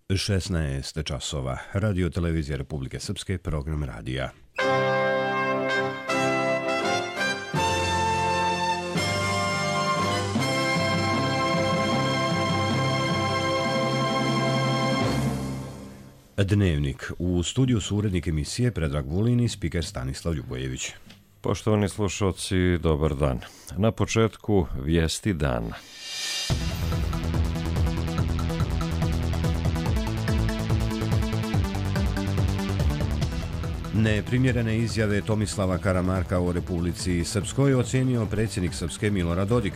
16 časova. Radio televizija Republike Srpske, program radija. Dnevnik. U studiju su urednik emisije Predrag Vulin i spiker Stanislav Ljubojević. Poštovani slušalci, dobar dan. Na početku vijesti dana. Neprimjerene izjave Tomislava Karamarka o Republici Srpskoj ocenio predsjednik Srpske Milorad Dodik.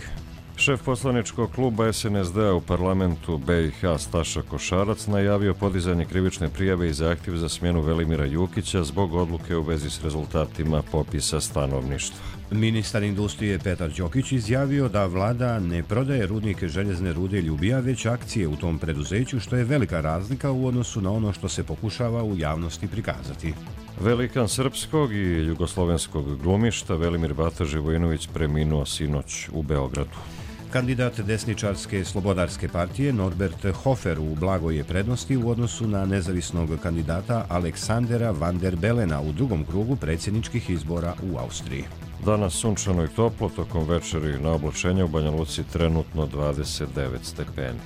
Šef poslaničkog kluba SNSD-a u parlamentu BiH Staša Košarac najavio podizanje krivične prijave i zahtjev za smjenu Velimira Jukića zbog odluke u vezi s rezultatima popisa stanovništva. Ministar industrije Petar Đokić izjavio da vlada ne prodaje rudnike željezne rude Ljubija, već akcije u tom preduzeću, što je velika razlika u odnosu na ono što se pokušava u javnosti prikazati. Velikan srpskog i jugoslovenskog glumišta Velimir Bata Živojinović preminuo sinoć u Beogradu. Kandidat desničarske slobodarske partije Norbert Hofer u blagoj je prednosti u odnosu na nezavisnog kandidata Aleksandera van der Belena u drugom krugu predsjedničkih izbora u Austriji. Danas sunčano i toplo, tokom večeri na oblačenju u Banja Luci trenutno 29 stepeni.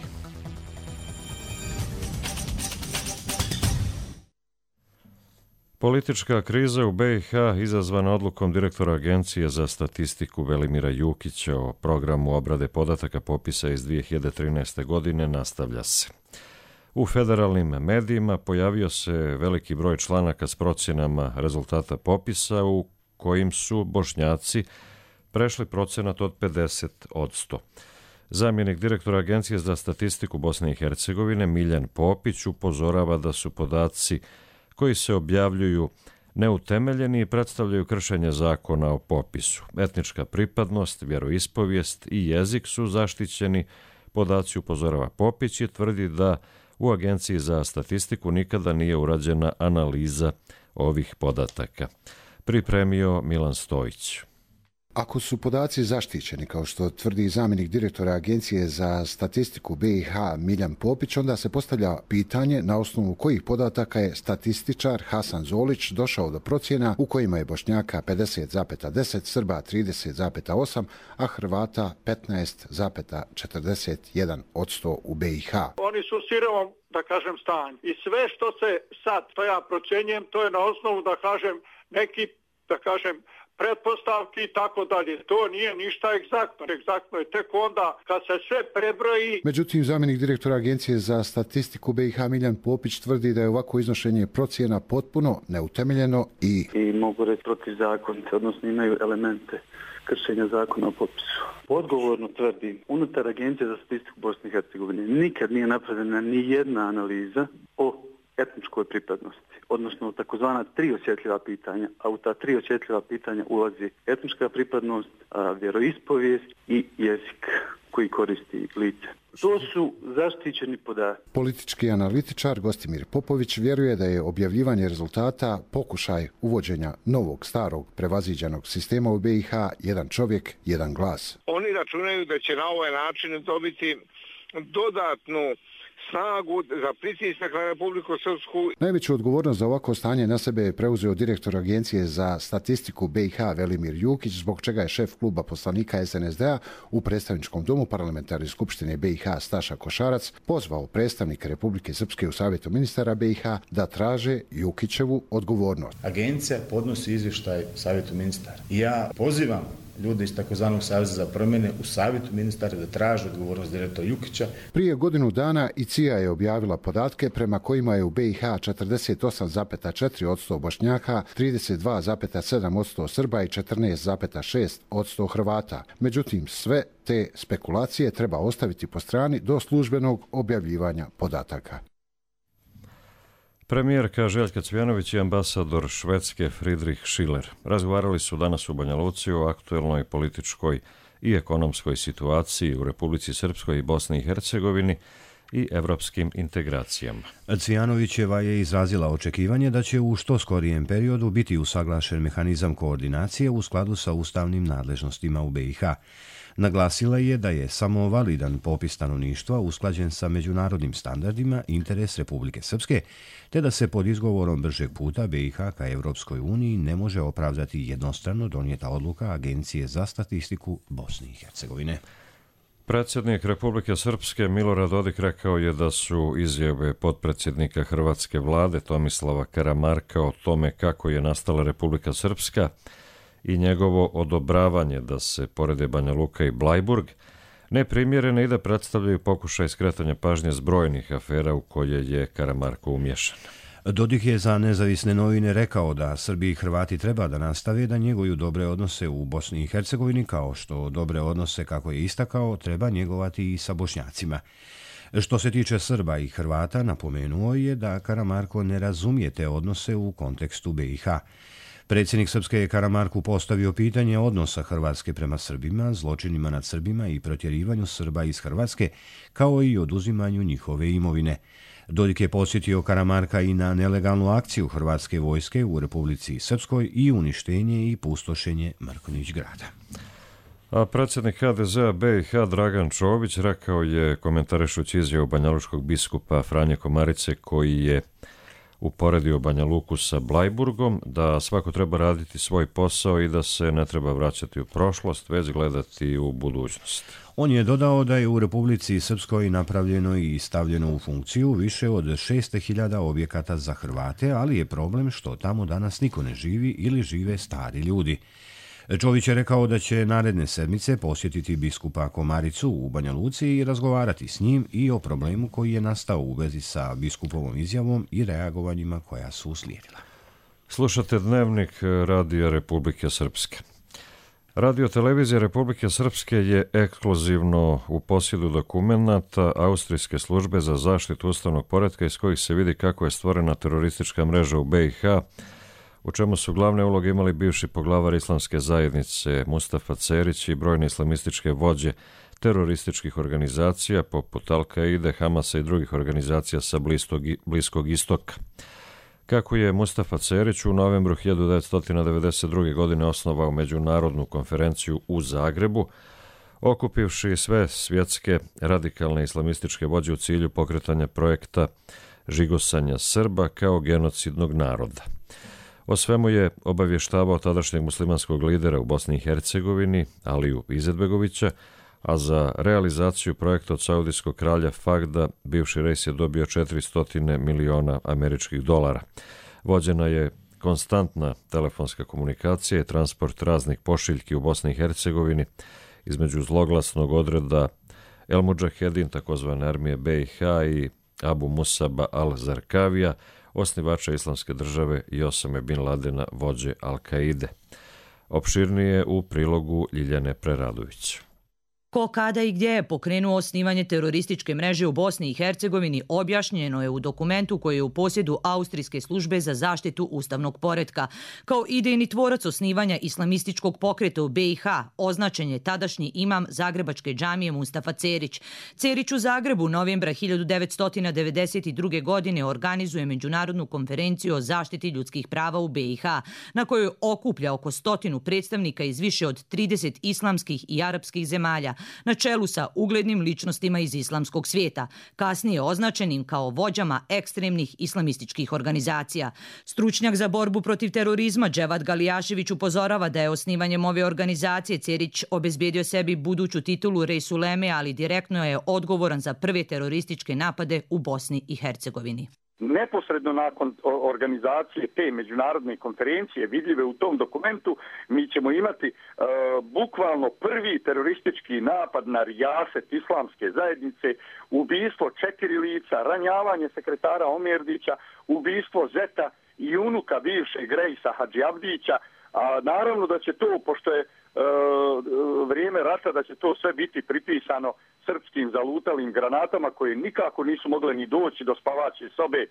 Politička kriza u BiH izazvana odlukom direktora Agencije za statistiku Velimira Jukića o programu obrade podataka popisa iz 2013. godine nastavlja se. U federalnim medijima pojavio se veliki broj članaka s procjenama rezultata popisa u kojim su Bošnjaci prešli procenat od 50%. Zamjenik direktora Agencije za statistiku Bosne i Hercegovine Miljan Popić upozorava da su podaci koji se objavljuju neutemeljeni i predstavljaju kršenje zakona o popisu. Etnička pripadnost, vjeroispovijest i jezik su zaštićeni podaci, upozorava Popić i tvrdi da u Agenciji za statistiku nikada nije urađena analiza ovih podataka. Pripremio Milan Stojić. Ako su podaci zaštićeni, kao što tvrdi zamjenik direktora Agencije za statistiku BiH Miljan Popić, onda se postavlja pitanje na osnovu kojih podataka je statističar Hasan Zolić došao do procjena u kojima je Bošnjaka 50,10, Srba 30,8, a Hrvata 15,41% u BiH. Oni su u sirovom, da kažem, stanju. I sve što se sad, to ja procjenjujem, to je na osnovu, da kažem, neki, da kažem, pretpostavki i tako dalje. To nije ništa egzaktno. Egzaktno je tek onda kad se sve prebroji. Međutim, zamjenik direktora Agencije za statistiku BiH Miljan Popić tvrdi da je ovako iznošenje procjena potpuno neutemeljeno i mogu reći protivzakonite, odnosno imaju elemente kršenja zakona o popisu. Odgovorno tvrdim, unutar Agencije za statistiku Bosne i Hercegovine nikad nije napravljena ni jedna analiza o etničkoj pripadnosti, odnosno takozvana 3 osjetljiva pitanja, a u ta 3 osjetljiva pitanja ulazi etnička pripadnost, vjeroispovijest i jezik koji koristi lice. To su zaštićeni podaci. Politički analitičar Gostimir Popović vjeruje da je objavljivanje rezultata pokušaj uvođenja novog, starog, prevaziđenog sistema u BiH, jedan čovjek, jedan glas. Oni računaju da će na ovaj način dobiti dodatnu snagu za pritisak na Republiku Srpsku. Najveću odgovornost za ovako stanje na sebe je preuzeo direktor Agencije za statistiku BiH Velimir Jukić, zbog čega je šef kluba poslanika SNSD-a u predstavničkom domu parlamentarne skupštine BiH Staša Košarac pozvao predstavnike Republike Srpske u Savjetu ministara BiH da traže Jukićevu odgovornost. Agencija podnosi izvještaj Savjetu ministara. Ja pozivam ljude iz takozvanog Saveza za promjene u Savjetu ministara da traže odgovornost direktora Jukića. Prije godinu dana i CIA je objavila podatke prema kojima je u BiH 48,4% Bošnjaka, 32,7% Srba i 14,6% Hrvata. Međutim, sve te spekulacije treba ostaviti po strani do službenog objavljivanja podataka. Premijerka Željka Cvjanović i ambasador Švedske Friedrich Schiller razgovarali su danas u Banja Luci o aktuelnoj političkoj i ekonomskoj situaciji u Republici Srpskoj i Bosni i Hercegovini i evropskim integracijama. Cvjanovićeva je izrazila očekivanje da će u što skorijem periodu biti usaglašen mehanizam koordinacije u skladu sa ustavnim nadležnostima u BiH. Naglasila je da je samo validan popis stanovništva usklađen sa međunarodnim standardima interes Republike Srpske, te da se pod izgovorom bržeg puta BiH ka Evropskoj uniji ne može opravdati jednostrano donijeta odluka Agencije za statistiku Bosne i Hercegovine. Predsjednik Republike Srpske Milorad Dodik rekao je da su izjave potpredsjednika hrvatske vlade Tomislava Karamarka o tome kako je nastala Republika Srpska i njegovo odobravanje da se porede Banja Luka i Blajburg neprimjerene i da predstavljaju pokušaj skretanja pažnje s brojnih afera u koje je Karamarko umješan. Dodik je za nezavisne novine rekao da Srbi i Hrvati treba da nastave da njeguju dobre odnose u Bosni i Hercegovini, kao što dobre odnose, kako je istakao, treba njegovati i sa Bošnjacima. Što se tiče Srba i Hrvata, napomenuo je da Karamarko ne razumije te odnose u kontekstu BiH. Predsjednik Srpske je Karamarku postavio pitanje odnosa Hrvatske prema Srbima, zločinima nad Srbima i protjerivanju Srba iz Hrvatske, kao i oduzimanju njihove imovine. Dodik je podsjetio Karamarka i na nelegalnu akciju hrvatske vojske u Republici Srpskoj i uništenje i pustošenje Mrkonjić grada. A predsjednik HDZ-a BiH Dragan Čović rekao je, komentarišući izjavu banjalučkog biskupa Franje Komarice, koji je uporedio Banja Luku sa Blajburgom, da svako treba raditi svoj posao i da se ne treba vraćati u prošlost, već gledati u budućnost. On je dodao da je u Republici Srpskoj napravljeno i stavljeno u funkciju više od 600.000 objekata za Hrvate, ali je problem što tamo danas niko ne živi ili žive stari ljudi. Čović je rekao da će naredne sedmice posjetiti biskupa Komaricu u Banja Luci i razgovarati s njim i o problemu koji je nastao u vezi sa biskupovom izjavom i reagovanjima koja su uslijedila. Slušate Dnevnik Radija Republike Srpske. Radio-televizija Republike Srpske je ekskluzivno u posjedu dokumenata Austrijske službe za zaštitu ustavnog poretka iz kojih se vidi kako je stvorena teroristička mreža u BiH, u čemu su glavne uloge imali bivši poglavar islamske zajednice Mustafa Cerić i brojne islamističke vođe terorističkih organizacija poput Al-Kaide, Hamasa i drugih organizacija sa Bliskog istoka. Kako je Mustafa Cerić u novembru 1992. godine osnovao međunarodnu konferenciju u Zagrebu, okupivši sve svjetske radikalne islamističke vođe u cilju pokretanja projekta žigosanja Srba kao genocidnog naroda. O svemu je obavještavao tadašnjeg muslimanskog lidera u Bosni i Hercegovini, Aliju Izetbegovića, a za realizaciju projekta od saudijskog kralja Fahda bivši rejs je dobio 400 miliona američkih dolara. Vođena je konstantna telefonska komunikacija i transport raznih pošiljki u Bosni i Hercegovini između zloglasnog odreda El Mudžahedin, takozvane armije BiH, i Abu Musaba al-Zarkavija, osnivača islamske države, i Osame bin Ladena, vođe Al-Kaide. Opširnije u prilogu Ljiljane Preradović. Ko, kada i gdje je pokrenuo osnivanje terorističke mreže u Bosni i Hercegovini objašnjeno je u dokumentu koji je u posjedu Austrijske službe za zaštitu ustavnog poretka. Kao idejni tvorac osnivanja islamističkog pokreta u BiH označen je tadašnji imam Zagrebačke džamije Mustafa Cerić. Cerić u Zagrebu novembra 1992. godine organizuje međunarodnu konferenciju o zaštiti ljudskih prava u BiH, na kojoj okuplja oko 100 predstavnika iz više od 30 islamskih i arapskih zemalja, na čelu sa uglednim ličnostima iz islamskog svijeta, kasnije označenim kao vođama ekstremnih islamističkih organizacija. Stručnjak za borbu protiv terorizma Dževad Galijašević upozorava da je osnivanjem ove organizacije Cerić obezbedio sebi buduću titulu Rejs Uleme, ali direktno je odgovoran za prve terorističke napade u Bosni i Hercegovini. Neposredno nakon organizacije te međunarodne konferencije vidljive u tom dokumentu, mi ćemo imati bukvalno prvi teroristički napad na rijaset islamske zajednice, ubistvo 4 lica, ranjavanje sekretara Omerdića, ubistvo zeta i unuka bivšeg rejsa Hadži Abdića. A naravno da će to, pošto je vrijeme rata, da će to sve biti pripisano srpskim zalutalim granatama koje nikako nisu mogle ni doći do spavaće sobe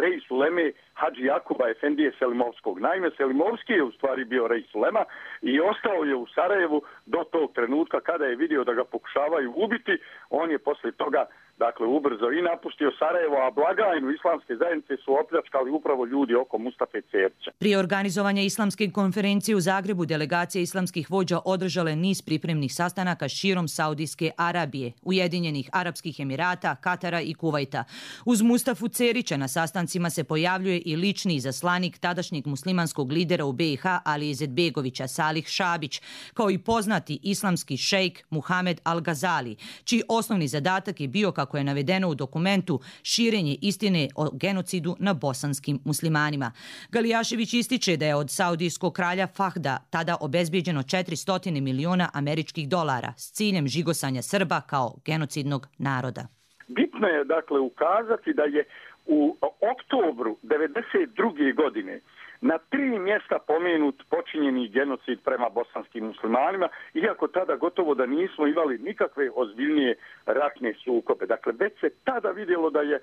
Rejs Uleme Hadži Jakuba Efendije Selimovskog. Naime, Selimovski je u stvari bio Rejs Ulema i ostao je u Sarajevu do tog trenutka kada je vidio da ga pokušavaju ubiti. On je poslije toga dakle ubrzo i napustio Sarajevo, a blagajnu islamske zajednice su opljačkali upravo ljudi oko Mustafe Cerća. Prije organizovanja islamske konferencije u Zagrebu delegacija islamskih vođa održale niz pripremnih sastanaka širom Saudijske Arabije, Ujedinjenih Arapskih Emirata, Katara i Kuvajta. Uz Mustafu Cerića na sastancima se pojavljuje i lični izaslanik tadašnjeg muslimanskog lidera u BiH Ali Izetbegovića Salih Šabić, kao i poznati islamski šejk Muhamed Al-Gazali, čiji osnovni zadatak je bio, kako je navedeno u dokumentu, širenje istine o genocidu na bosanskim muslimanima. Galijašević ističe da je od saudijskog kralja Fahda tada obezbijeđeno 400 miliona američkih dolara s ciljem žigosanja Srba kao genocidnog naroda. Bitno je dakle ukazati da je u oktobru 1992. godine na 3 mjesta pomenut počinjeni genocid prema bosanskim muslimanima, iako tada gotovo da nismo imali nikakve ozbiljnije ratne sukobe. Dakle, već se tada vidjelo da je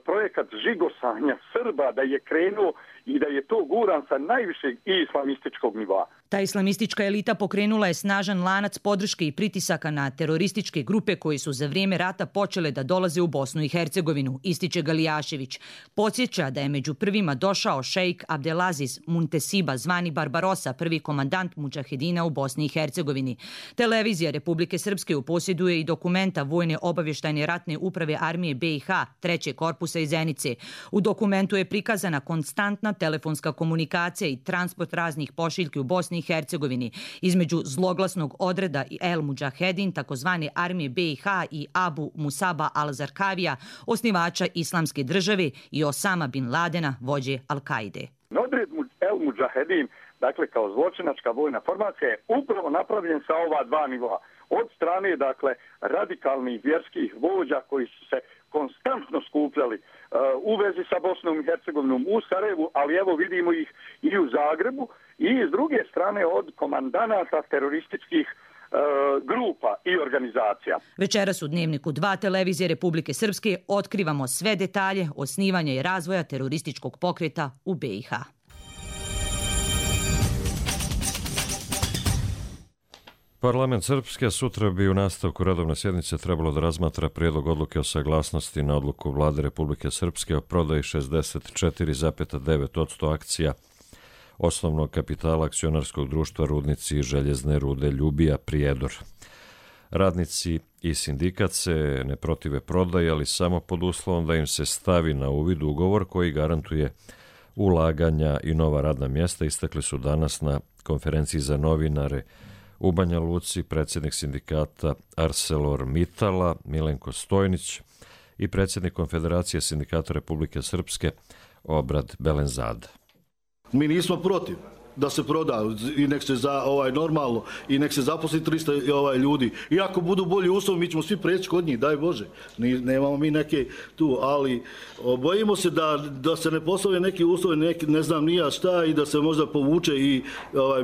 projekat žigosanja Srba, da je krenuo i da je to guran sa najvišeg islamističkog nivoa. Ta islamistička elita pokrenula je snažan lanac podrške i pritisaka na terorističke grupe koji su za vrijeme rata počele da dolaze u Bosnu i Hercegovinu, ističe Galijašević. Podsjeća da je među prvima došao šejk Abdelaziz Muntesiba, zvani Barbarosa, prvi komandant mudžahedina u Bosni i Hercegovini. Televizija Republike Srpske posjeduje i dokumenta Vojne obavještajne ratne uprave armije BiH, 3. korpusa iz Zenice. U dokumentu je prikazana konstantna telefonska komunikacija i transport raznih pošiljki u Bosni i Hercegovini između zloglasnog odreda El Mudžahedin, takozvane armije BiH, i Abu Musaba al-Zarkavija, osnivača islamske države, i Osama bin Ladena, vođe Al-Kaide. Odred El Mudžahedin, dakle kao zločinačka vojna formacija, je upravo napravljen sa ova dva nivoa. Od strane, dakle, radikalnih vjerskih vođa koji su se konstantno skupljali u vezi sa Bosnom i Hercegovinom u Sarajevu, ali evo vidimo ih i u Zagrebu, i s druge strane od komandanata terorističkih grupa i organizacija. Večeras u Dnevniku 2 televizije Republike Srpske otkrivamo sve detalje osnivanja i razvoja terorističkog pokreta u BiH. Parlament Srpske sutra bi u nastavku redovne sjednice trebalo da razmatra prijedlog odluke o saglasnosti na odluku Vlade Republike Srpske o prodaji 64,9% akcija osnovnog kapitala akcionarskog društva Rudnici željezne rude Ljubija Prijedor. Radnici i sindikat se ne protive prodaji, ali samo pod uslovom da im se stavi na uvid ugovor koji garantuje ulaganja i nova radna mjesta, istakli su danas na konferenciji za novinare u Banja Luci predsjednik sindikata ArcelorMittala Milenko Stojnić i predsjednik Konfederacije sindikata Republike Srpske Obrad Belenzada. Mi nismo protiv da se proda i nek se normalno i nek se zaposli 300 ljudi. I ako budu bolji uslovi, mi ćemo svi preći kod njih, daj Bože. Nemamo mi neke tu, ali bojimo se da se ne postave neki uslovi, ne znam nija šta, i da se možda povuče i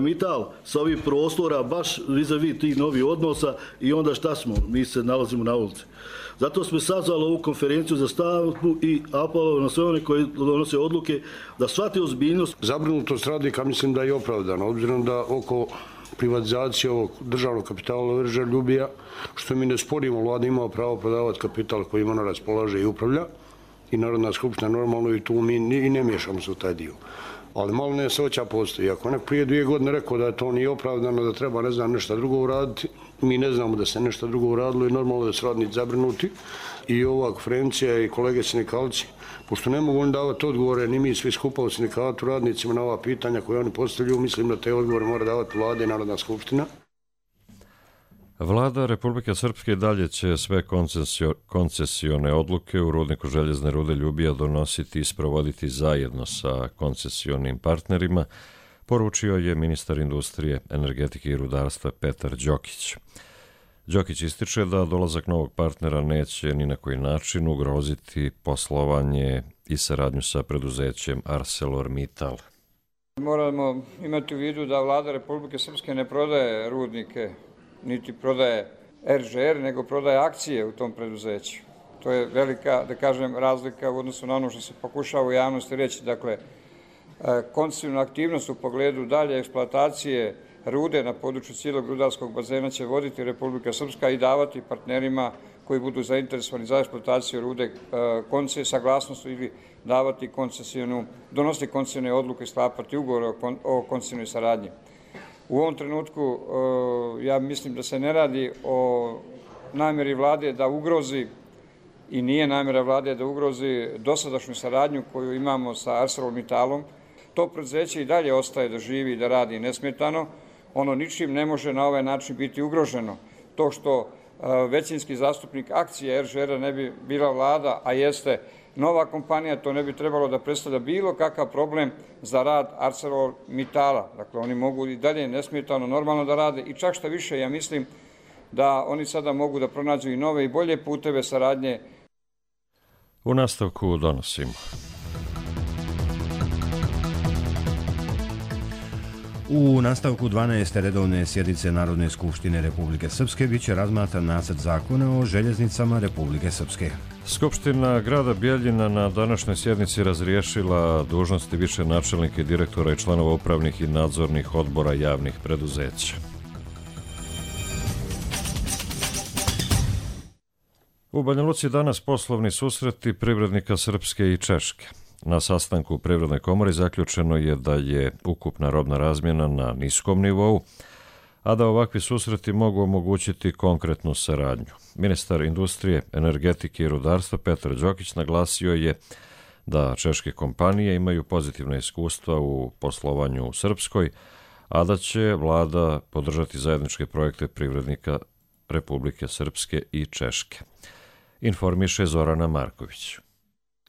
Mittal sa ovih prostora, baš vis-a-vis tih novih odnosa, i onda šta smo? Mi se nalazimo na ulici. Zato smo sazvali ovu konferenciju za stavku i apelovali na sve one koji donose odluke da shvate ozbiljnost. Zabrinutost radnika mislim da je opravdana, obzirom da oko privatizacije ovog državnog kapitala Ljubija, što mi ne sporimo, vlada ima pravo prodavati kapital koji ona raspolaže i upravlja, i Narodna skupština normalno, i tu mi i ne miješamo se u taj dio. Ali malo nesreća postoji. Ako nek prije 2 godine rekao da to nije opravdano, da treba nešto drugo uraditi, mi ne znamo da se nešto drugo uradilo i normalno da su radnici zabrinuti. I ova konferencija i kolege sindikalci, pošto ne mogu oni davati odgovore, ni mi svi skupa u sindikatu radnicima na ova pitanja koje oni postavljaju, mislim da te odgovore mora davati vlada i Narodna skupština. Vlada Republike Srpske dalje će sve koncesione odluke u rudniku željezne rude Ljubija donositi i sprovoditi zajedno sa koncesionim partnerima, poručio je ministar industrije, energetike i rudarstva Petar Đokić. Đokić ističe da dolazak novog partnera neće ni na koji način ugroziti poslovanje i saradnju sa preduzećem ArcelorMittal. Moramo imati u vidu da Vlada Republike Srpske ne prodaje rudnike, niti prodaje RŽR, nego prodaje akcije u tom preduzeću. To je velika, da kažem, razlika u odnosu na ono što se pokušava u javnosti reći. Dakle, koncesivna aktivnost u pogledu dalje eksploatacije rude na području cijelog rudarskog bazena će voditi Republika Srpska i davati partnerima koji budu zainteresovani za eksploataciju rude koncesije, saglasnost ili davati donositi koncesijone odluke, sklapati ugovor o koncesijnoj saradnji. U ovom trenutku ja mislim da se ne radi o namjeri vlade da ugrozi i nije namjera vlade da ugrozi dosadašnju saradnju koju imamo sa ArcelorMittalom. To preduzeće i dalje ostaje da živi i da radi nesmetano. Ono ničim ne može na ovaj način biti ugroženo. To što većinski zastupnik akcije RŽR-a ne bi bila vlada, a jeste nova kompanija, to ne bi trebalo da predstavlja bilo kakav problem za rad ArcelorMittala. Dakle, oni mogu i dalje nesmetano normalno da rade i čak šta više, ja mislim da oni sada mogu da pronađu i nove i bolje puteve saradnje. U nastavku donosimo. U nastavku 12. redovne sjednice Narodne skupštine Republike Srpske biće razmatran nacrt zakona o željeznicama Republike Srpske. Skupština grada Bijeljina na današnjoj sjednici razriješila dužnosti više načelnika i direktora i članova upravnih i nadzornih odbora javnih preduzeća. U Banja Luci danas poslovni susreti privrednika Srpske i Češke. Na sastanku u Privrednoj komori zaključeno je da je ukupna robna razmjena na niskom nivou, a da ovakvi susreti mogu omogućiti konkretnu saradnju. Ministar industrije, energetike i rudarstva Petar Đokić naglasio je da češke kompanije imaju pozitivna iskustva u poslovanju u Srpskoj, a da će vlada podržati zajedničke projekte privrednika Republike Srpske i Češke. Informiše Zorana Marković.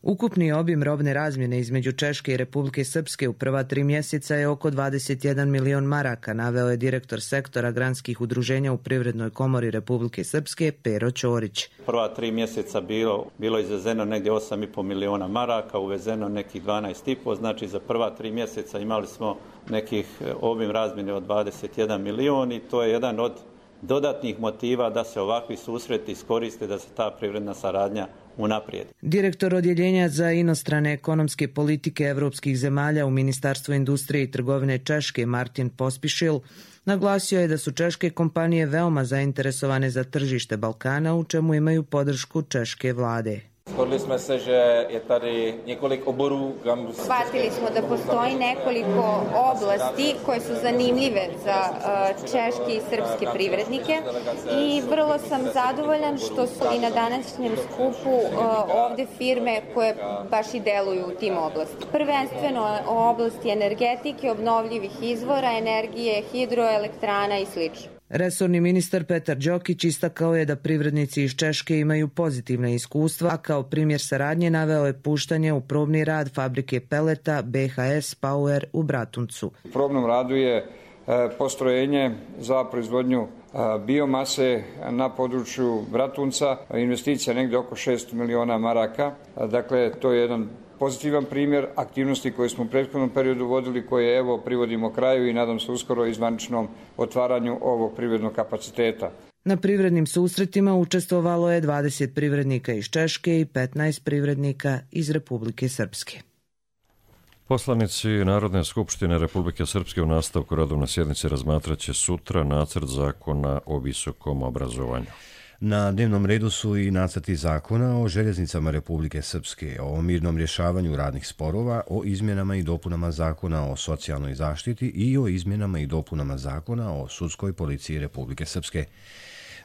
Ukupni obim robne razmjene između Češke i Republike Srpske u prva 3 mjeseca je oko 21 milion maraka, naveo je direktor sektora granskih udruženja u Privrednoj komori Republike Srpske Pero Ćorić. Prva 3 mjeseca bilo izvezeno negdje 8,5 miliona maraka, uvezeno nekih 12,5, znači za prva 3 mjeseca imali smo nekih obim razmjene od 21 milion i to je jedan od dodatnih motiva da se ovakvi susreti iskoriste, da se ta privredna saradnja unaprijedi. Direktor odjeljenja za inostrane ekonomske politike evropskih zemalja u Ministarstvu industrije i trgovine Češke Martin Pospišil naglasio je da su češke kompanije veoma zainteresovane za tržište Balkana, u čemu imaju podršku češke vlade. Shodli smo se že je tady několik oborů, kam... Shvatili smo da postoji nekoliko oblasti koje su zanimljive za češke i srpske privrednike i vrlo sam zadovoljan što su i na današnjem skupu ovde firme koje baš i deluju u tim oblastima. Prvenstveno o oblasti energetike, obnovljivih izvora, energije, hidroelektrana i sl. Resorni ministar Petar Đokić istakao je da privrednici iz Češke imaju pozitivna iskustva, a kao primjer saradnje naveo je puštanje u probni rad fabrike peleta BHS Power u Bratuncu. U probnom radu je postrojenje za proizvodnju biomase na području Bratunca, investicija negdje oko 600 miliona maraka. Dakle, to je jedan pozitivan primjer aktivnosti koje smo u prethodnom periodu vodili, koje evo privodimo kraju i nadam se uskoro i zvaničnom otvaranju ovog privrednog kapaciteta. Na privrednim susretima učestvovalo je 20 privrednika iz Češke i 15 privrednika iz Republike Srpske. Poslanici Narodne skupštine Republike Srpske u nastavku redovne sjednice razmatraće sutra nacrt zakona o visokom obrazovanju. Na dnevnom redu su i nacrti zakona o željeznicama Republike Srpske, o mirnom rješavanju radnih sporova, o izmjenama i dopunama zakona o socijalnoj zaštiti i o izmjenama i dopunama zakona o sudskoj policiji Republike Srpske.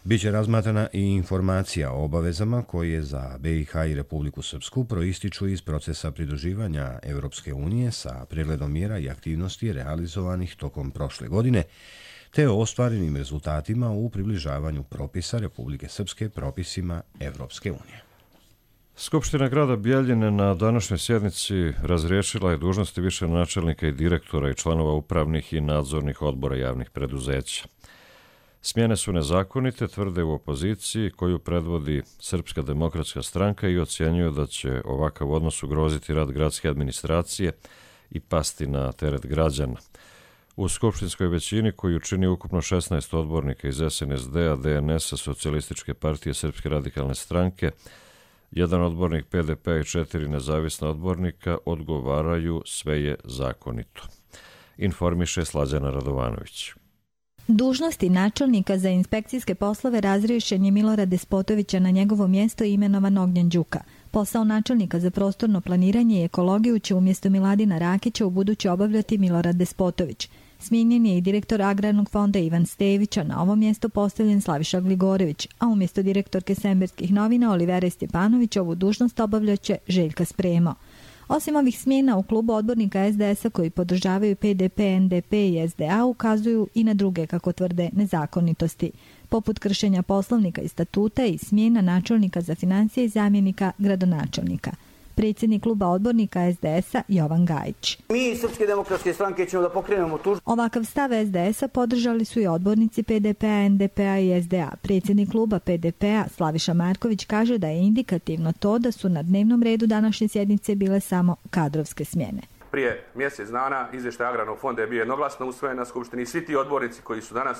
Biće razmatrana i informacija o obavezama koje za BiH i Republiku Srpsku proističu iz procesa pridruživanja Evropske unije sa pregledom mjera i aktivnosti realizovanih tokom prošle godine, te o ostvarenim rezultatima u približavanju propisa Republike Srpske propisima Evropske unije. Skupština grada Bijeljine na današnjoj sjednici razriješila je dužnosti više načelnika i direktora i članova upravnih i nadzornih odbora javnih preduzeća. Smjene su nezakonite, tvrde u opoziciji koju predvodi Srpska demokratska stranka i ocjenjuju da će ovakav odnos ugroziti rad gradske administracije i pasti na teret građana. U skupštinskoj većini koju čini ukupno 16 odbornika iz SNSD-a, DNS-a, Socijalističke partije Srpske radikalne stranke, jedan odbornik PDP i 4 nezavisna odbornika odgovaraju sve je zakonito. Informiše Slađana Radovanović. Dužnosti načelnika za inspekcijske poslove razriješen je Milorad Despotovića, na njegovo mjesto imenovan Ognjen Đuka. Posao načelnika za prostorno planiranje i ekologiju će umjesto Miladina Rakića ubuduće obavljati Milorad Despotović. Smijenjen je i direktor Agrarnog fonda Ivan Stević, a na ovo mjesto postavljen Slaviša Gligorević, a umjesto direktorke Semberskih novina Olivere Stjepanović ovu dužnost obavljaće Željka Spremo. Osim ovih smjena u klubu odbornika SDS-a koji podržavaju PDP, NDP i SDA ukazuju i na druge, kako tvrde, nezakonitosti, poput kršenja poslovnika i statuta i smjena načelnika za financije i zamjenika gradonačelnika. Predsjednik kluba odbornika SDS-a Jovan Gajić. Mi iz Srpske demokratske stranke ćemo da pokrenemo tužbu. Ovakav stav SDS-a podržali su i odbornici PDP-a, NDP-a i SDA. Predsjednik kluba PDP-a Slaviša Marković kaže da je indikativno to da su na dnevnom redu današnje sjednice bile samo kadrovske smjene. Prije mjesec dana izvještaj Agrarnog fonda je bio jednoglasno usvojen na skupštini i svi ti odbornici koji su danas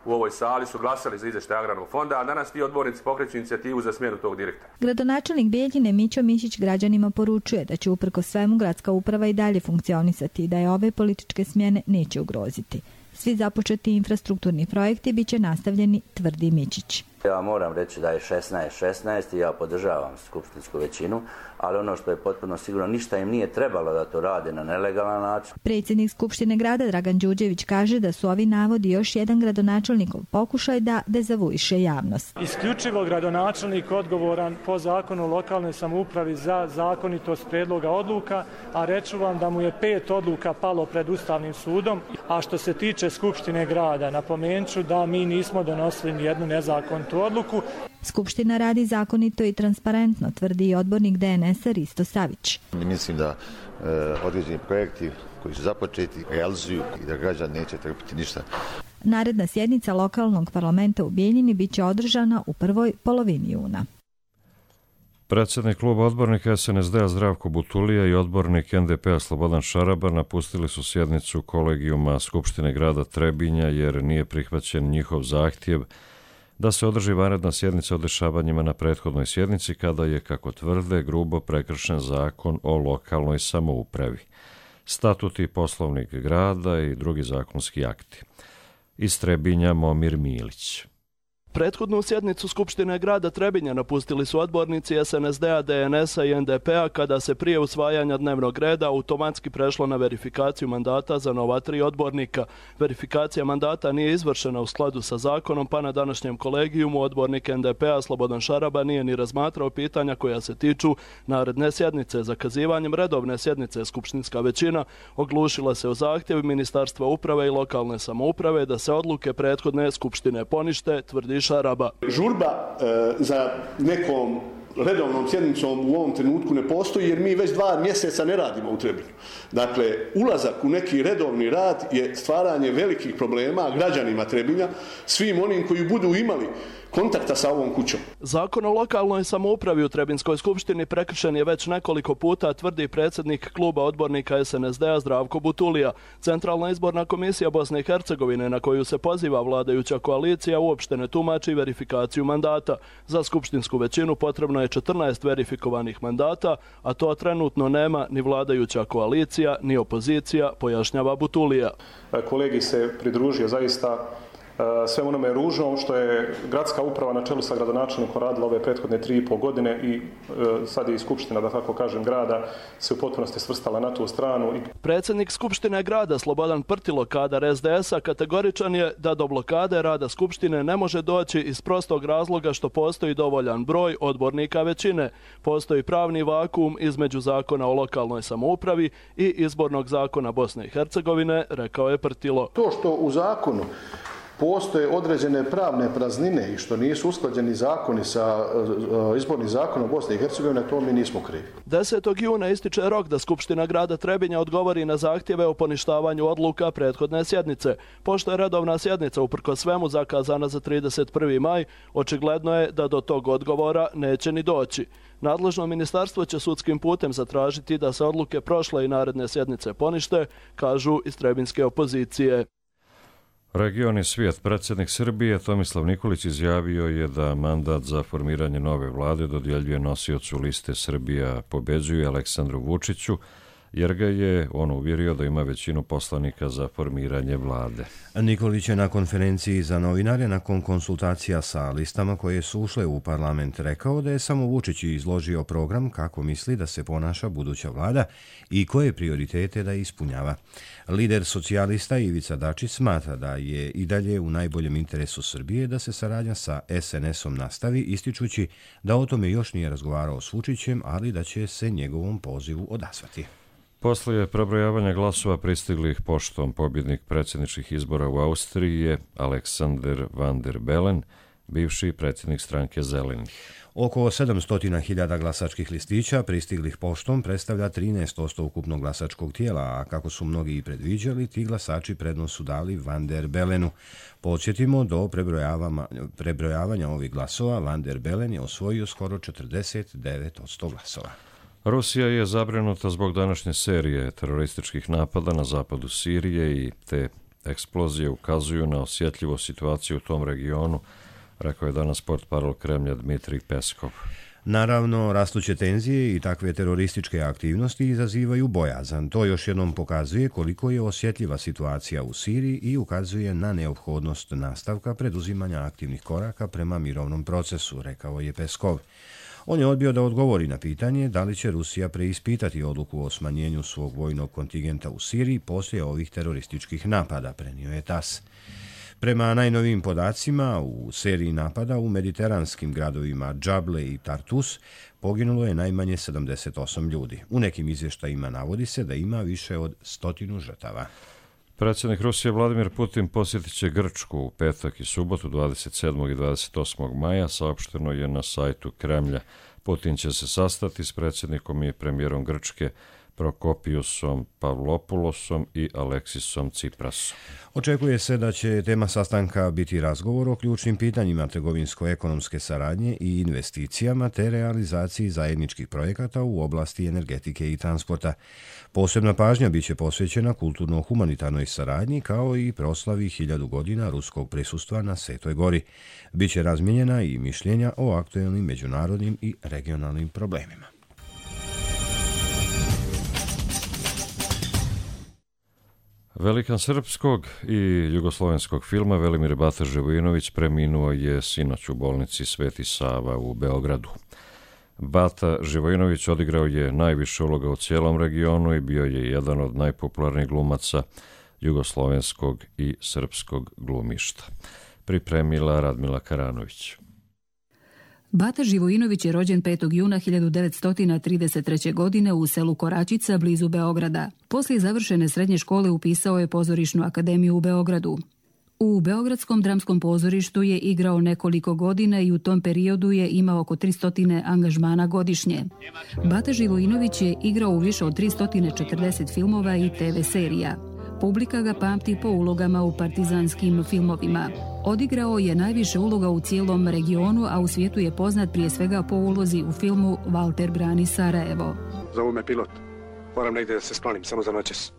u ovoj sali su glasali za izvještaj Agrarnog fonda, a danas ti odbornici pokreću inicijativu za smjenu tog direktora. Gradonačelnik Bijeljine Mićo Mišić građanima poručuje da će uprkos svemu gradska uprava i dalje funkcionisati i da je ove političke smjene neće ugroziti. Svi započeti infrastrukturni projekti bit će nastavljeni, tvrdi Mičić. Ja moram reći da je 16-16 i ja podržavam skupštinsku većinu, ali ono što je potpuno sigurno, ništa im nije trebalo da to rade na nelegalan način. Predsjednik Skupštine grada Dragan Đurđević kaže da su ovi navodi još jedan gradonačelnikov pokušaj da dezavuiše javnost. Isključivo gradonačelnik odgovoran po zakonu o lokalnoj samoupravi za zakonitost predloga odluka, a reću vam da mu je 5 odluka palo pred Ustavnim sudom, a što se tiče Skupštine grada, napomenut ću da mi nismo donosili ni jednu nezakonitu odluku. Skupština radi zakonito i transparentno, tvrdi i odbornik DNS-a Risto Savić. Mislim da određeni projekti koji su započeti realizuju i da građani neće trpiti ništa. Naredna sjednica lokalnog parlamenta u Bijeljini bit će održana u prvoj polovini juna. Predsjednik kluba odbornika SNSD-a Zdravko Butulija i odbornik NDP-a Slobodan Šaraba napustili su sjednicu kolegijuma Skupštine grada Trebinja jer nije prihvaćen njihov zahtjev da se održi vanredna sjednica o dešavanjima na prethodnoj sjednici kada je, kako tvrde, grubo prekršen zakon o lokalnoj samoupravi, statut i poslovnik grada i drugi zakonski akti. Iz Trebinja Momir Milić. Prethodnu sjednicu Skupštine grada Trebinja napustili su odbornici SNSD-a, DNS-a i NDP-a kada se prije usvajanja dnevnog reda automatski prešlo na verifikaciju mandata za nova 3 odbornika. Verifikacija mandata nije izvršena u skladu sa zakonom, pa na današnjem kolegijumu odbornik NDP-a Slobodan Šaraba nije ni razmatrao pitanja koja se tiču naredne sjednice. Zakazivanjem redovne sjednice skupštinska većina oglušila se o zahtjev Ministarstva uprave i lokalne samouprave da se odluke prethodne skupštine ponište, tvrdi Šaraba. Žurba za nekom redovnom sjednicom u ovom trenutku ne postoji jer mi već 2 mjeseca ne radimo u Trebinju. Dakle, ulazak u neki redovni rad je stvaranje velikih problema građanima Trebinja, svim onim koji budu imali kontakta sa ovom kućom. Zakon o lokalnoj samoupravi u Trebinskoj skupštini prekršen je već nekoliko puta, tvrdi predsjednik kluba odbornika SNSD-a Zdravko Butulija. Centralna izborna komisija Bosne i Hercegovine, na koju se poziva vladajuća koalicija, uopšte ne tumači verifikaciju mandata. Za skupštinsku većinu potrebno je 14 verifikovanih mandata, a to trenutno nema ni vladajuća koalicija, ni opozicija, pojašnjava Butulija. Kolegi se pridružio zaista sve onome ružnom što je gradska uprava na čelu sa gradonačelnikom radila ove prethodne 3,5 godine i sad je i skupština, da tako kažem, grada se u potpunosti svrstala na tu stranu. Predsjednik Skupštine grada Slobodan Prtilo, kadar SDS-a, kategoričan je da do blokade rada Skupštine ne može doći iz prostog razloga što postoji dovoljan broj odbornika većine. Postoji pravni vakuum između zakona o lokalnoj samoupravi i izbornog zakona Bosne i Hercegovine, rekao je Prtilo. To što u zakonu postoje određene pravne praznine i što nisu usklađeni zakoni sa izbornim zakonom Bosne i Hercegovine, to mi nismo krivi. 10. juna ističe rok da Skupština grada Trebinja odgovori na zahtjeve o poništavanju odluka prethodne sjednice. Pošto je redovna sjednica uprkos svemu zakazana za 31. maj, očigledno je da do tog odgovora neće ni doći. Nadležno ministarstvo će sudskim putem zatražiti da se odluke prošle i naredne sjednice ponište, kažu iz trebinske opozicije. Region i svijet. Predsjednik Srbije Tomislav Nikolić izjavio je da mandat za formiranje nove vlade dodjeljuje nosiocu liste Srbija pobeđuje Aleksandru Vučiću, jer ga je on uvjerio da ima većinu poslanika za formiranje vlade. Nikolić je na konferenciji za novinare nakon konsultacija sa listama koje su ušle u parlament rekao da je samo Vučić izložio program kako misli da se ponaša buduća vlada i koje prioritete da ispunjava. Lider socijalista Ivica Dačić smatra da je i dalje u najboljem interesu Srbije da se saradnja sa SNS-om nastavi, ističući da o tome još nije razgovarao s Vučićem, ali da će se njegovom pozivu odazvati. Poslije prebrojavanja glasova pristiglih poštom pobjednik predsjedničkih izbora u Austriji je Alexander Van der Bellen, bivši predsjednik stranke Zelenih. Oko 700.000 glasačkih listića pristiglih poštom predstavlja 13% ukupnog glasačkog tijela, a kako su mnogi i predviđali, ti glasači prednost su dali Van der Bellenu. Podsjetimo, do prebrojavanja ovih glasova Van der Bellen je osvojio skoro 49% glasova. Rusija je zabrinuta zbog današnje serije terorističkih napada na zapadu Sirije i te eksplozije ukazuju na osjetljivu situaciju u tom regionu, rekao je danas portparol Kremlja Dmitrij Peskov. Naravno, rastuće tenzije i takve terorističke aktivnosti izazivaju bojazan. To još jednom pokazuje koliko je osjetljiva situacija u Siriji i ukazuje na neophodnost nastavka preduzimanja aktivnih koraka prema mirovnom procesu, rekao je Peskov. On je odbio da odgovori na pitanje da li će Rusija preispitati odluku o smanjenju svog vojnog kontingenta u Siriji poslije ovih terorističkih napada, prenio je TASS. Prema najnovijim podacima, u seriji napada u mediteranskim gradovima Džable i Tartus poginulo je najmanje 78 ljudi. U nekim izvještajima navodi se da ima više od 100 žrtava. Predsjednik Rusije Vladimir Putin posjetit će Grčku u petak i subotu 27. i 28. maja, saopšteno je na sajtu Kremlja. Putin će se sastati s predsjednikom i premijerom Grčke Prokopiusom Pavlopoulosom i Aleksisom Tsiprasom. Očekuje se da će tema sastanka biti razgovor o ključnim pitanjima trgovinsko-ekonomske saradnje i investicijama te realizaciji zajedničkih projekata u oblasti energetike i transporta. Posebna pažnja biće posvećena kulturno-humanitarnoj saradnji kao i proslavi 1000 godina ruskog prisustva na Svetoj gori. Biće razmijenjena i mišljenja o aktuelnim međunarodnim i regionalnim problemima. Velikan srpskog i jugoslovenskog filma Velimir Bata Živojinović preminuo je sinoć u bolnici Sveti Sava u Beogradu. Bata Živojinović odigrao je najviše uloga u cijelom regionu i bio je jedan od najpopularnijih glumaca jugoslovenskog i srpskog glumišta. Pripremila Radmila Karanović. Bata Živojinović je rođen 5. juna 1933. godine u selu Koračica blizu Beograda. Poslije završene srednje škole upisao je Pozorišnu akademiju u Beogradu. U Beogradskom dramskom pozorištu je igrao nekoliko godina i u tom periodu je imao oko 300 angažmana godišnje. Bata Živojinović je igrao u više od 340 filmova i TV serija. Publika ga pamti po ulogama u partizanskim filmovima. Odigrao je najviše uloga u cijelom regionu, a u svijetu je poznat prije svega po ulozi u filmu Valter brani Sarajevo. Zovu me pilot. Moram negdje da se sklonim, samo za noćas.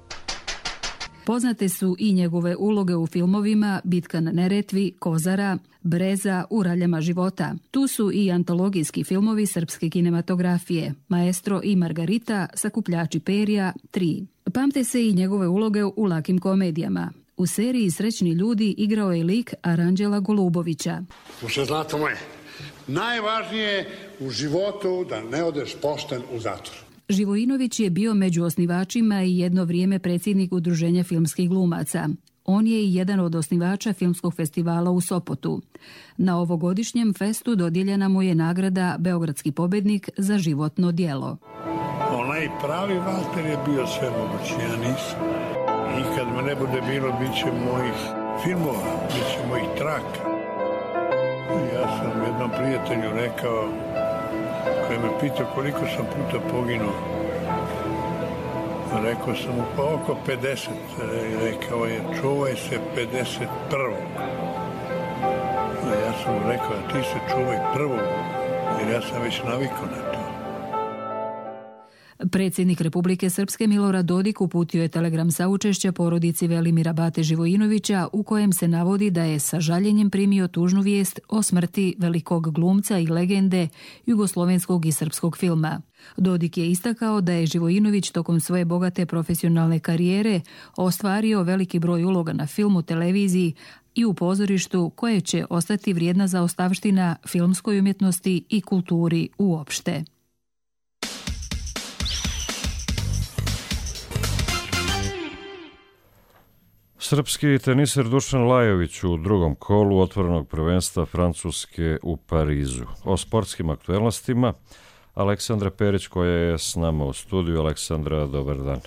Poznate su i njegove uloge u filmovima Bitka na Neretvi, Kozara, Breza, U raljama života. Tu su i antologijski filmovi srpske kinematografije, Maestro i Margarita, Sakupljači perja, 3. Pamte se i njegove uloge u lakim komedijama. U seriji Srećni ljudi igrao je lik Aranđela Golubovića. Slušaj, zlato moje, najvažnije je u životu da ne odeš pošten u zatvor. Živojinović je bio među osnivačima i jedno vrijeme predsjednik Udruženja filmskih glumaca. On je i jedan od osnivača filmskog festivala u Sopotu. Na ovogodišnjem festu dodijeljena mu je nagrada Beogradski pobjednik za životno djelo. Onaj pravi Valter je bio sve mogući, ja nisam. I kad me ne bude bilo, bit će mojih filmova, bit će mojih traka. Ja sam jednom prijatelju rekao, koji me pitao koliko sam puta poginuo. Rekao sam mu pa oko 50. Rekao je čuvaj se 51. A ja sam mu rekao ti se čuvaj prvog, jer ja sam već navikao na to. Predsjednik Republike Srpske Milorad Dodik uputio je telegram saučešća porodici Velimira Bate Živojinovića u kojem se navodi da je sa žaljenjem primio tužnu vijest o smrti velikog glumca i legende jugoslovenskog i srpskog filma. Dodik je istakao da je Živojinović tokom svoje bogate profesionalne karijere ostvario veliki broj uloga na filmu, televiziji i u pozorištu koje će ostati vrijedna zaostavština filmskoj umjetnosti i kulturi uopšte. Srpski teniser Dušan Lajović u drugom kolu otvorenog prvenstva Francuske u Parizu. O sportskim aktuelnostima Aleksandra Perić koja je s nama u studiju. Aleksandra, dobar dan.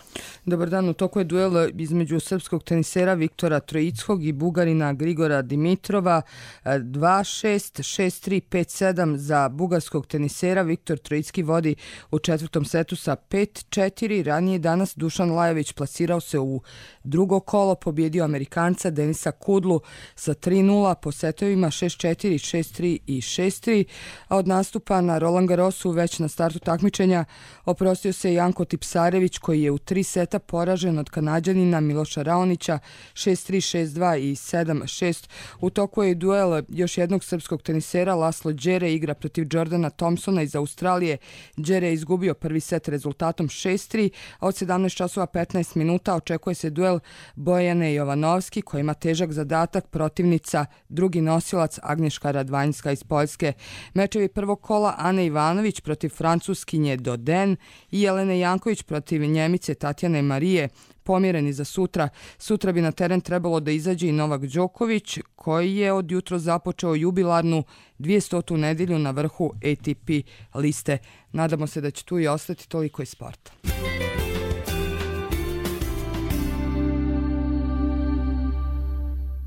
Dobar dan, u toku je duel između srpskog tenisera Viktora Trojickog i Bugarina Grigora Dimitrova. 2-6, 6-3, 5-7 za bugarskog tenisera. Viktor Trojicki vodi u četvrtom setu sa 5-4. Ranije danas Dušan Lajović plasirao se u drugo kolo, pobjedio Amerikanca Denisa Kudlu sa 3-0 po setovima 6-4, 6-3 i 6-3. A od nastupa na Roland Garrosu već na startu takmičenja oprostio se Janko Tipsarević koji je u 3 seta poražen od Kanađanina Miloša Raonića 6-3, 6-2 i 7-6. U toku je i duel još jednog srpskog tenisera. Laslo Đere igra protiv Jordana Thompsona iz Australije. Đere je izgubio prvi set rezultatom 6-3, a od 17 časova 15 minuta očekuje se duel Bojane Jovanovski koji ima težak zadatak, protivnica drugi nosilac Agnješka Radvanjska iz Poljske. Mečevi prvog kola Ane Ivanović protiv Francuskinje Doden i Jelene Janković protiv Njemice Tatjane Marije pomjereni za sutra. Sutra bi na teren trebalo da izađe i Novak Đoković koji je od jutro započeo jubilarnu 200. nedjelju na vrhu ATP liste. Nadamo se da će tu i ostati. Toliko iz sporta.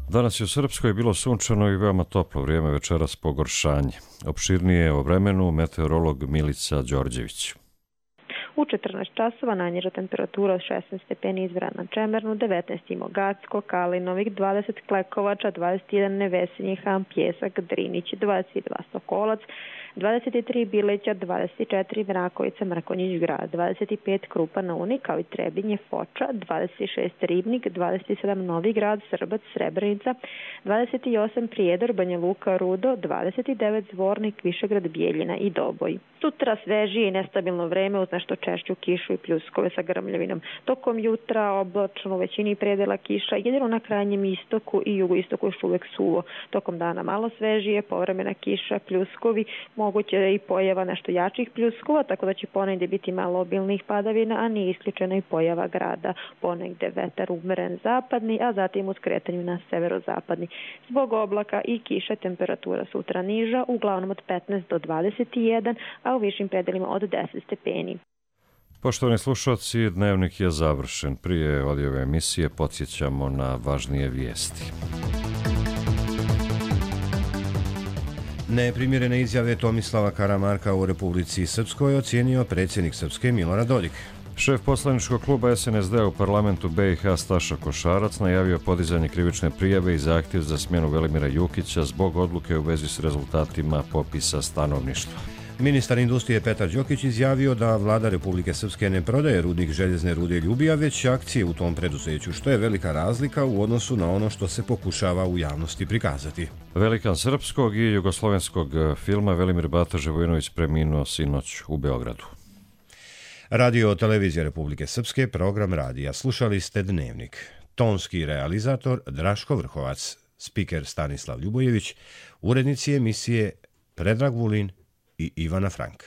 Danas je u Srpskoj bilo sunčano i veoma toplo vrijeme, večeras pogoršanje. Opširnije o vremenu meteorolog Milica Đorđević. U 14 časova najniža temperatura od 16 stepeni izvora na Čemernu, 19 Imogacko, Kalinovik, 20 Klekovača, 21 Nevesinji Han, Pjesak, Drinić, 22 Sokolac, 23 Bileća, 24 Mrakovica, Mrkonjić grad, 25 Krupa na Uni, kao i Trebinje, Foča, 26 Ribnik, 27 Novi grad, Srbac, Srebrenica, 28 Prijedor, Banja Luka, Rudo, 29 Zvornik, Višegrad, Bijeljina i Doboj. Sutra svežije i nestabilno vreme uz nešto češću kišu i pljuskove sa grmljavinom. Tokom jutra oblačno u većini predela kiša, jedino na krajnjem istoku i jugoistoku još uvek suvo. Tokom dana malo svežije, povremena kiša, pljuskovi, moguće je i pojava nešto jačih pljuskova, tako da će ponegdje biti malo obilnih padavina, a nije isključena i pojava grada. Ponegdje vetar umeren zapadni, a zatim uz kretanju na severozapadni. Zbog oblaka i kiše temperatura sutra niža, uglavnom od 15 do 21, a u višim predelima od 10 stepeni. Poštovani slušalci, dnevnik je završen. Prije odjave emisije podsjećamo na važnije vijesti. Neprimjerene izjave Tomislava Karamarka u Republici Srpskoj ocijenio predsjednik Srpske Milorad Dodik. Šef poslaničkog kluba SNSD u parlamentu BiH Staša Košarac najavio podizanje krivične prijave i zahtjev za smjenu Velimira Jukića zbog odluke u vezi s rezultatima popisa stanovništva. Ministar industrije Petar Đokić izjavio da vlada Republike Srpske ne prodaje rudnik željezne rude Ljubija, već akcije u tom preduzeću, što je velika razlika u odnosu na ono što se pokušava u javnosti prikazati. Velikan srpskog i jugoslovenskog filma Velimir Bata Živojinović preminuo sinoć u Beogradu. Radio televizija Republike Srpske, program radija. Slušali ste Dnevnik. Tonski realizator Draško Vrhovac, spiker Stanislav Ljubojević, urednici emisije Predrag Vulin i Ivana Frank.